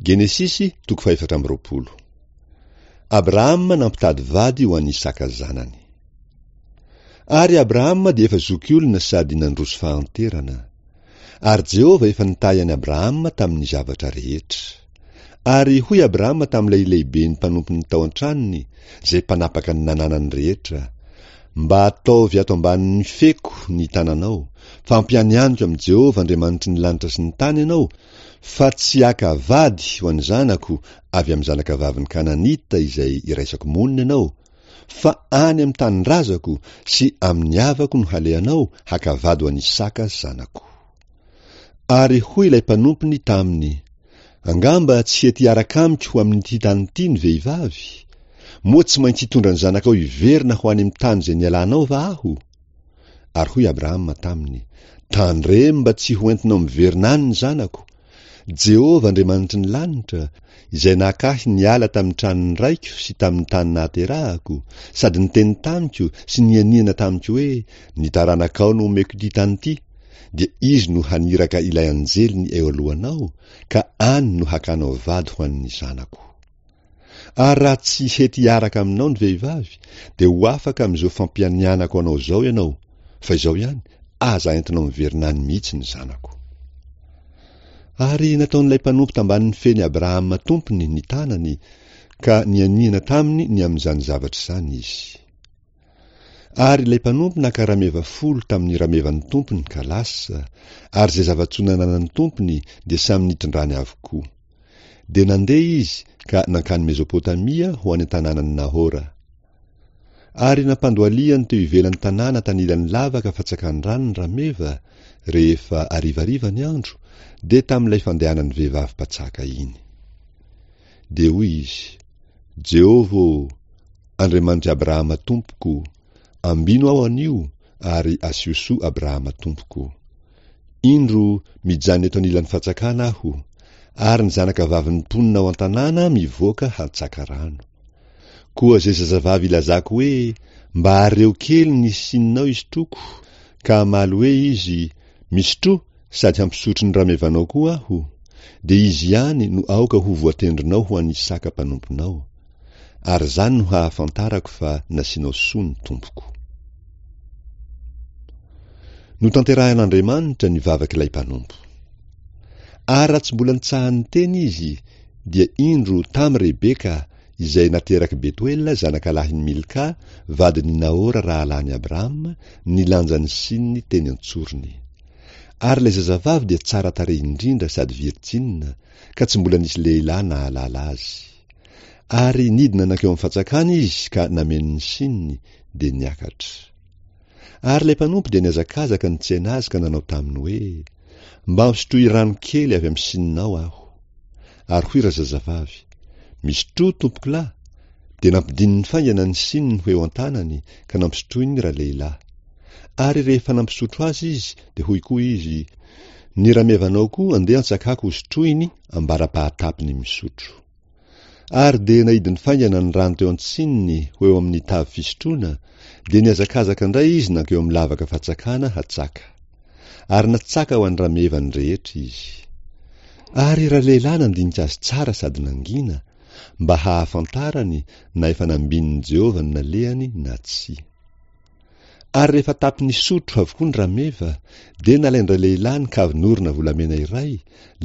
Genesisy toko fahefatra amby 24. Abrahama nampitady vady ho an'i Isaka zanany. Ary Abrahama dia efa zokiolona sady nandroso fahanterana. Ary Jehovah efa nitahy an'i Abrahama tamin'ny zavatra rehetra. Ary hoy Abrahama tamin'ilay lehiben'ny mpanompony tao an-tranony, izay mpanapaka ny nananany rehetra, Mba ataovy ato ambanin'ny feko ny tananao, fa ampianianiko amin'i Jehovah Andriamanitry ny lanitra sy ny tany ianao, fa tsy haka vady ho an'ny zanako avy amin'ny zanakavavin'ny Kananita izay iraisako monina ianao, fa any amin'ny tanindrazako sy amin'ny havako no halehanao haka vady ho an'Isaka zanako. Ary hoy ilay mpanompony taminy, Angamba tsy hety hiaraka amiko ho amin'ity tany ity ny vehivavy? Moa tsy maintsy hitondra ny zanakao hiverina ho any amin'ny tany izay nialanao va aho? Ary hoy Abrahama taminy, Tandremo mba tsy ho entinao miverina any ny zanako. Jehovah Andriamanitry ny lanitra, izay naka ahy niala tamin'ny tranon'ny raiko sy tamin'ny tany nahaterahako, sady niteny tamiko sy nianiana tamiko hoe, Ny taranakao no homeko ity tany ity, dia Izy no haniraka ilay anjeliny eo alohanao, ka any no hakanao vady ho an'ny zanako. Ary raha tsy hety hiaraka aminao ny vehivavy, dia ho afaka amin'izao fampianianako anao izao ianao, fa izao ihany, aza entinao miverina any mihitsy ny zanako. Ary nataon'ilay mpanompo tambanin'ny fen'i Abrahama tompony ny tanany, ka nianiana taminy ny amin'izany zavatra izany izy. Ary ilay mpanompo naka rameva folo tamin'ny ramevan'ny tompony ka lasa, ary izay zava-tsoa nananan'ny tompony dia samy nitondrany avokoa. Dia nandeha izy ka nankany Mezopotamia ho any an-tanànan'i Nahora. Ary nampandohalihany teo ivelan'ny tanàna tanilan'ny lavaka fatsakan-drano ny rameva, rehefa harivariva ny andro, dia tamin'ilay fandehanan'ny vehivavy mpatsaka iny. Dia hoy izy, Jehovah ô, Andriamanitr'i Abrahama tompoko, ambino aho anio ary asio soa Abrahama tompoko. Indro, mijanona eto anilan'ny fatsakana aho, ary ny zanakavavin'ny mponina ao an-tanàna mivoaka hantsaka rano. Koa izay zazavavy ilazako hoe, Mba areo kely ny sininao hisotroako, ka hamaly hoe izy, Misotroa, sady hampisotro ny ramevanao koa aho, dia izy ihany no aoka ho voatendrinao ho an'Isaka mpanomponao. Ary izany no hahafantarako fa nasianao soa ny tompoko. Notanterahin'Andriamanitra ny vavak'ilay mpanompo. Ary raha tsy mbola nitsaha-niteny izy, dia indro tamy Rebeka, izay naterak'i Betoela zanakalahin'i Milka, vadin'i Nahora rahalahin'i Abrahama, nilanja ny sininy teny an-tsorony. Ary ilay zazavavy dia tsara tarehy indrindra sady virjina, ka tsy mbola nisy lehilahy nahalala azy. Ary nidina nankeo amin'ny fatsakana izy ka nameno ny sininy, dia niakatra. Ary ilay mpanompo dia nihazakazaka nitsena azy ka nanao taminy hoe, Mba ampisotroy rano kely avy amin'ny sininao aho. Ary hoy razazavavy, Misotroa, tompokolahy. Dia nampidininy faingana ny sininy ho eo an-tanany ka nampisotroiny ralehilahy. Ary rehefa nampisotro azy izy, dia hoy koa izy, Ny ramevanao koa andeha antsakako hosotroiny ambara-pahatapiny misotro. Ary dia naidiny faingana ny rano teo an-tsininy ho eo amin'ny tavy fisotroana, dia nihazakazaka indray izy nankeo amin'ny lavaka fatsakana hatsaka. Ary natsaka ho an'ny ramevany rehetra izy. Ary ralehilahy nandinika azy tsara sady nangina, mba hahafantarany na efa nambinin'i Jehovah ny nalehany na tsia. Ary rehefa tapi-nisotro avokoa ny rameva, dia nalain-dralehilahy ny kavin'orona volamena iray,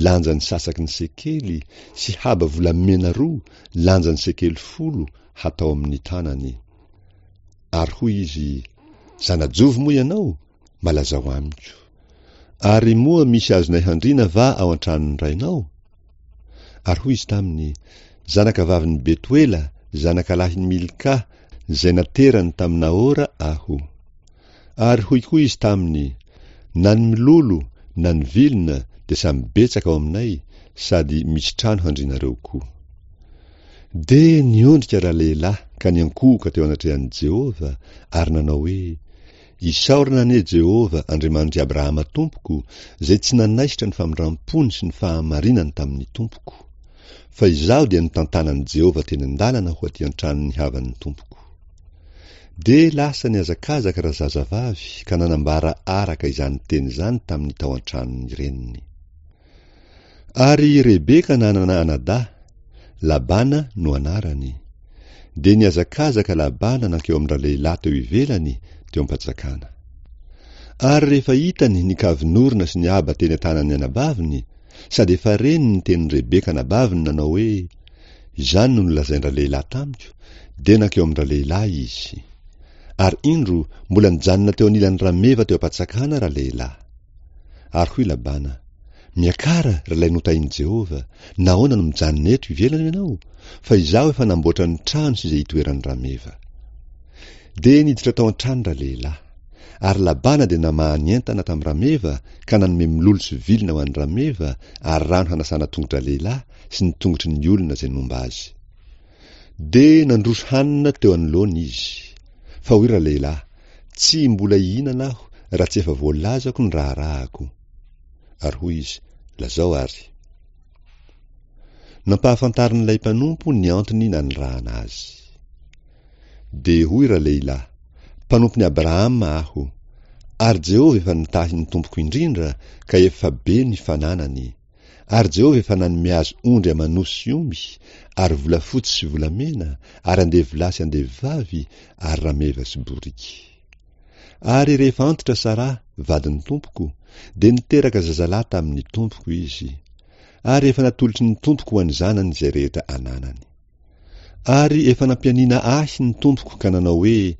lanjan'ny sasaky ny sekely, sy haba volamena roa, lanjan'ny sekely folo, hatao amin'ny tanany. Ary hoy izy, Zana-jovy moa ianao? Mba lazao amiko. Ary moa misy azonay handriana va ao an-tranon'ny rainao? Ary hoy izy taminy, Zanakavavin'i Betoela, zanakalahin'i Milka, izay naterany tamin'i Nahora, aho. Ary hoy koa izy taminy, Na ny milolo na ny vilona dia samy betsaka ao aminay, sady misy trano handrianareo koa. Dia niondrika ralehilahy ka niankohoka teo anatrehan'i Jehovah, ary nanao hoe, Isaorana anie Jehovah, Andriamanitr'i Abrahama tompoko, izay tsy nanaisotra ny famindram-pony sy ny fahamarinany tamin'ny tompoko. Fa izaho dia notantanan'i Jehovah teny an-dalana ho aty an-tranon'ny havan'ny tompoko. Dia lasa nihazakazaka razazavavy ka nanambara araka izany teny izany tamin'ny tao an-tranon'ny reniny. Ary Rebeka nanana anadahy, Labana no anarany. Dia nihazakazaka Labana nankeo amin-dralehilahy teo ivelany, teo am-panjakana. Ary rehefa hitany ny kavin'orona sy ny aba teny an-tanan'ny anabaviny, sady efa reny ny tenin'i Rebeka anabaviny nanao hoe, Izany no nolazain-dralehilahy tamiko, dia nankeo amin-dralehilahy izy. Ary indro, mbola nijanona teo anilan'ny rameva teo am-patsakana ralehilahy. Ary hoy Labana, Miakara, ry ilay notahin'i Jehovah, nahoana no mijanona eto ivelany ianao? Fa izaho efa namboatra ny trano sy izay itoeran'ny rameva. Dia niditra tao an-trano ralehilahy. Ary Labana dia namaha ny entana tamin'ny rameva ka nanome mololo sy vilona ho an'ny rameva ary rano hanasana tongo-dralehilahy sy ny tongotry ny olona izay nomba azy. Dia nandroso hanina teo anoloany izy. Fa hoy ralehilahy, Tsy mbola hihinana aho raha tsy efa voalazako ny raharahako. Ary hoy izy, Lazao àry. Nampahafantarin'ilay mpanompo ny antony nanirahana azy. Dia hoy ralehilahy, Mpanompon'i Abrahama aho, ary Jehovah efa nitahy ny tompoko indrindra ka efa be ny fananany. Ary Jehovah efa nanome azy ondry aman'osy sy omby, ary volafotsy sy volamena, ary andevolahy sy andevovavy, ary rameva sy boriky. Ary rehefa antitra Saraha, vadin'ny tompoko, dia niteraka zazalahy tamin'ny tompoko izy. Ary efa natolotry ny tompoko ho an'ny zanany izay rehetra ananany. Ary efa nampianiana ahy ny tompoko ka nanao hoe,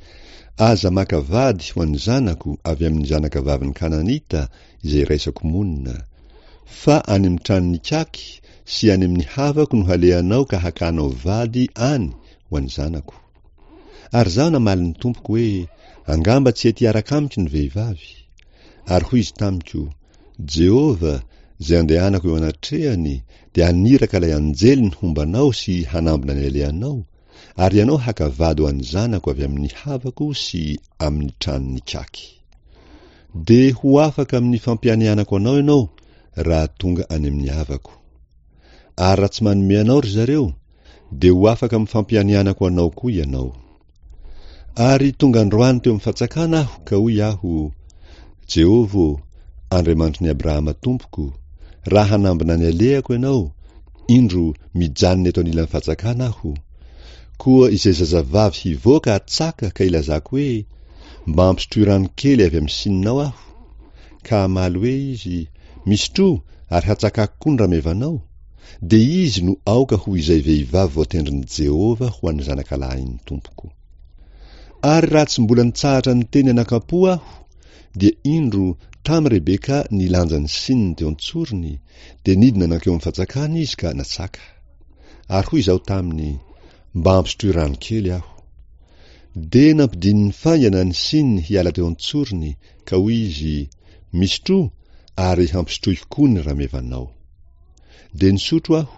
Aza maka vady ho an'ny zanako avy amin'ny zanakavavin'ny Kananita izay iraisako monina, fa any amin'ny tranon'ikaky sy any amin'ny havako no halehanao ka hakanao vady any ho an'ny zanako. Ary izaho namaly ny tompoko hoe, Angamba tsy hety hiaraka amiko ny vehivavy. Ary hoy izy tamiko, Jehovah, izay andehanako eo anatrehany, dia haniraka ilay anjeliny homba anao sy hanambina ny alehanao, ary ianao haka vady ho an'ny zanako avy amin'ny havako sy amin'ny tranon'ikaky. Dia ho afaka amin'ny fampianianako anao ianao raha tonga any amin'ny havako. Ary raha tsy manome anao ry zareo, dia ho afaka amin'ny fampianianako anao koa ianao. Ary tonga androany teo amin'ny fatsakana aho ka hoy aho, Jehovah ô, Andriamanitry ny Abrahama tompoko, raha hanambina ny alehako ianao, indro, mijanona eto anilan'ny fatsakana aho. Koa izay zazavavy hivoaka hatsaka ka hilazako hoe, Mba ampisotroy rano kely avy amin'ny sininao aho. Ka hamaly hoe izy, Misotroa, ary hatsakako koa ny ramevanao. Dia izy no aoka ho izay vehivavy voatendrin'i Jehovah ho an'ny zanakalahin'ny tompoko. Ary raha tsy mbola nitsahatra niteny anakam-po aho, dia indro, tamy Rebeka nilanja ny sininy teo an-tsorony, dia nidina nankeo amin'ny fatsakana izy ka natsaka. Ary hoy izaho taminy, Mba ampisotroy rano kely aho. Dia nampidininy faingana ny sininy hiala teo an-tsorony, ka hoy izy, Misotroa, ary hampisotroiko koa ny ramevanao. Dia nisotro aho,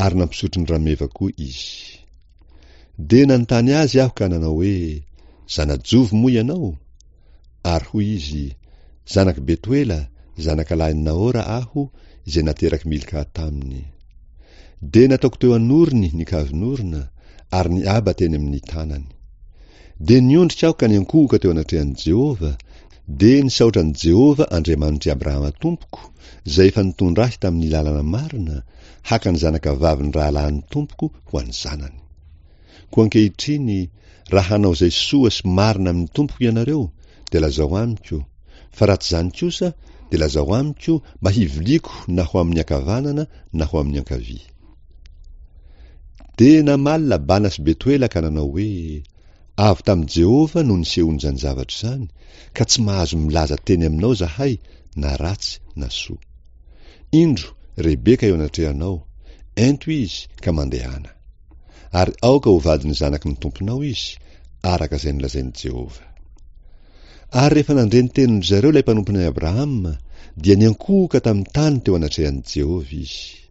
ary nampisotro ny rameva koa izy. Dia nanontany azy aho ka nanao hoe, Zana-jovy moa ianao? Ary hoy izy, Zanak'i Betoela, zanakalahin'i Nahora aho, izay naterak'i Milka taminy. Dia nataoko teo an'orony ny kavin'orona, ary ny aba teny amin'ny tanany. Dia niondrika aho ka niankohoka teo anatrehan'i Jehovah, dia nisaotra an'i Jehovah Andriamanitr'i Abrahama tompoko, izay efa nitondra ahy tamin'ny lalana marina, haka ny zanakavavin'ny rahalahin'ny tompoko ho an'ny zanany. Koa ankehitriny, raha hanao izay soa sy marina amin'ny tompoko ianareo, dia lazao amiko, fa raha tsy izany kosa, dia lazao amiko mba hiviliako na ho amin'ny ankavanana na ho amin'ny ankavia. Dia namaly Labana sy Betoela ka nanao hoe, Avy tamin'i Jehovah no nisehoan'izany zavatra izany, ka tsy mahazo milaza teny aminao izahay na ratsy na soa. Indro, Rebeka eo anatrehanao, ento izy ka mandehana. Ary aoka ho vadin'ny zanaky ny tomponao izy, araka izay nolazain'i Jehovah. Ary rehefa nandre ny tenin-dry zareo ilay mpanompon'i Abrahama, dia niankohoka tamin'ny tany teo anatrehan'i Jehovah izy.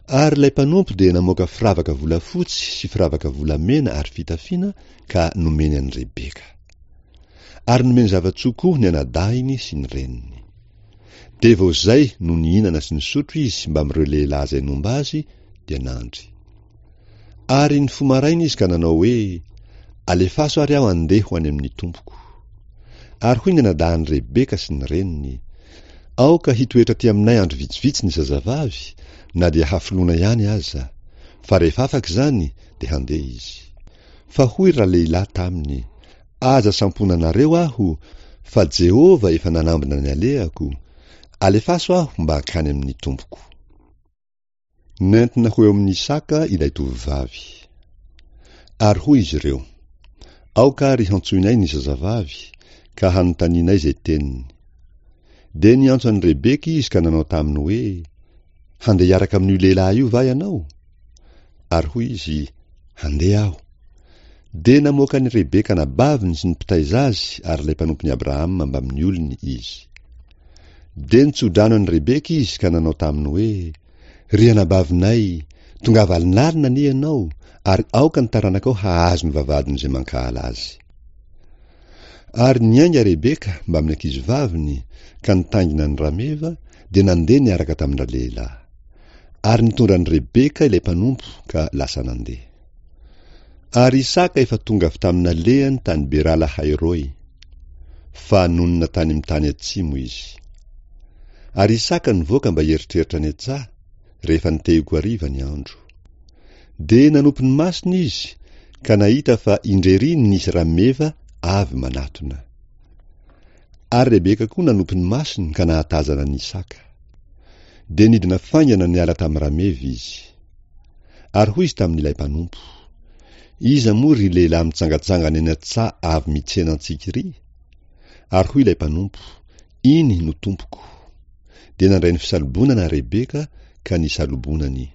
Ary ilay mpanompo dia namoaka firavaka volafotsy sy firavaka volamena ary fitafiana ka nomeny an'i Rebeka. Ary nomeny zava-tsoa koa ny anadahiny sy ny reniny. Dia vao izay no nihinana sy nisotro izy mbamin'ireo lehilahy izay nomba azy, dia nandry. Ary nifoha maraina izy ka nanao hoe, Alefaso ary aho handeha ho any amin'ny tompoko. Ary hoy ny anadahin'i Rebeka sy ny reniny, Aoka hitoetra aty aminay andro vitsivitsy ny zazavavy, na dia hafoloana ihany aza, fa rehefa afaka izany dia handeha izy. Fa hoy ralehilahy taminy, Aza samponanareo aho, fa Jehovah efa nanambina ny alehako, alefaso aho mba hankany amin'ny tompoko. Nentina ho eo amin'i Isaka ilay tovovavy. Ary hoy izy ireo, Aoka àry hantsoinay ny zazavavy, ka hanontanianay izay teniny. Dia niantso an'i Rebeka izy ka nanao taminy hoe, Handeha hiaraka amin'io lehilahy io va ianao? Ary hoy izy, Handeha aho. Dia namoaka an'i Rebeka anabaviny sy ny mpitaiza azy ary ilay mpanompon'i Abrahama mbamin'ny olony izy. Dia nitso-drano an'i Rebeka izy ka nanao taminy hoe, Ry anabavinay, tongava alinalina anie ianao, ary aoka ny taranakao hahazo ny vavahadin'izay mankahala azy. Ary niainga Rebeka mbamin'ny ankizivaviny ka nitaingina ny rameva, dia nandeha niaraka tamin-dralehilahy. Ary nitondra an'i Rebeka ilay mpanompo ka lasa nandeha. Ary Isaka efa tonga avy tamin'ny nalehany tany Bera-lahai-roy, fa nonina tany amin'ny tany atsimo izy. Ary Isaka nivoaka mba hieritreritra any an-tsaha, rehefa nitehiko hariva ny andro. Dia nanopy ny masony izy, ka nahita fa indrery nisy rameva avy manatona. Ary Rebeka koa nanopy ny masony ka nahatazana an'i Isaka. Dia nidina faingana niala tamin'ny rameva izy. Ary hoy izy tamin'ilay mpanompo, Iza moa ry lehilahy mitsangantsangana eny an-tsaha avy mitsena antsika iry? Ary hoy ilay mpanompo, Iny no tompoko. Dia nandray ny fisalobonana Rebeka ka nisalobonany.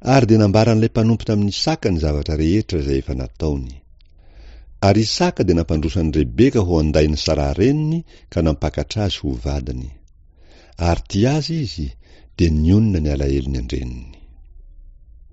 Ary dia nambaran'ilay mpanompo tamin'i Isaka ny zavatra rehetra izay efa nataony. Ary Isaka dia nampandroso an'i Rebeka ho an-dain'i Saraha reniny ka nampakatra azy ho vadiny. Ary tia azy izy, dia nionona ny alahelony an-dreniny.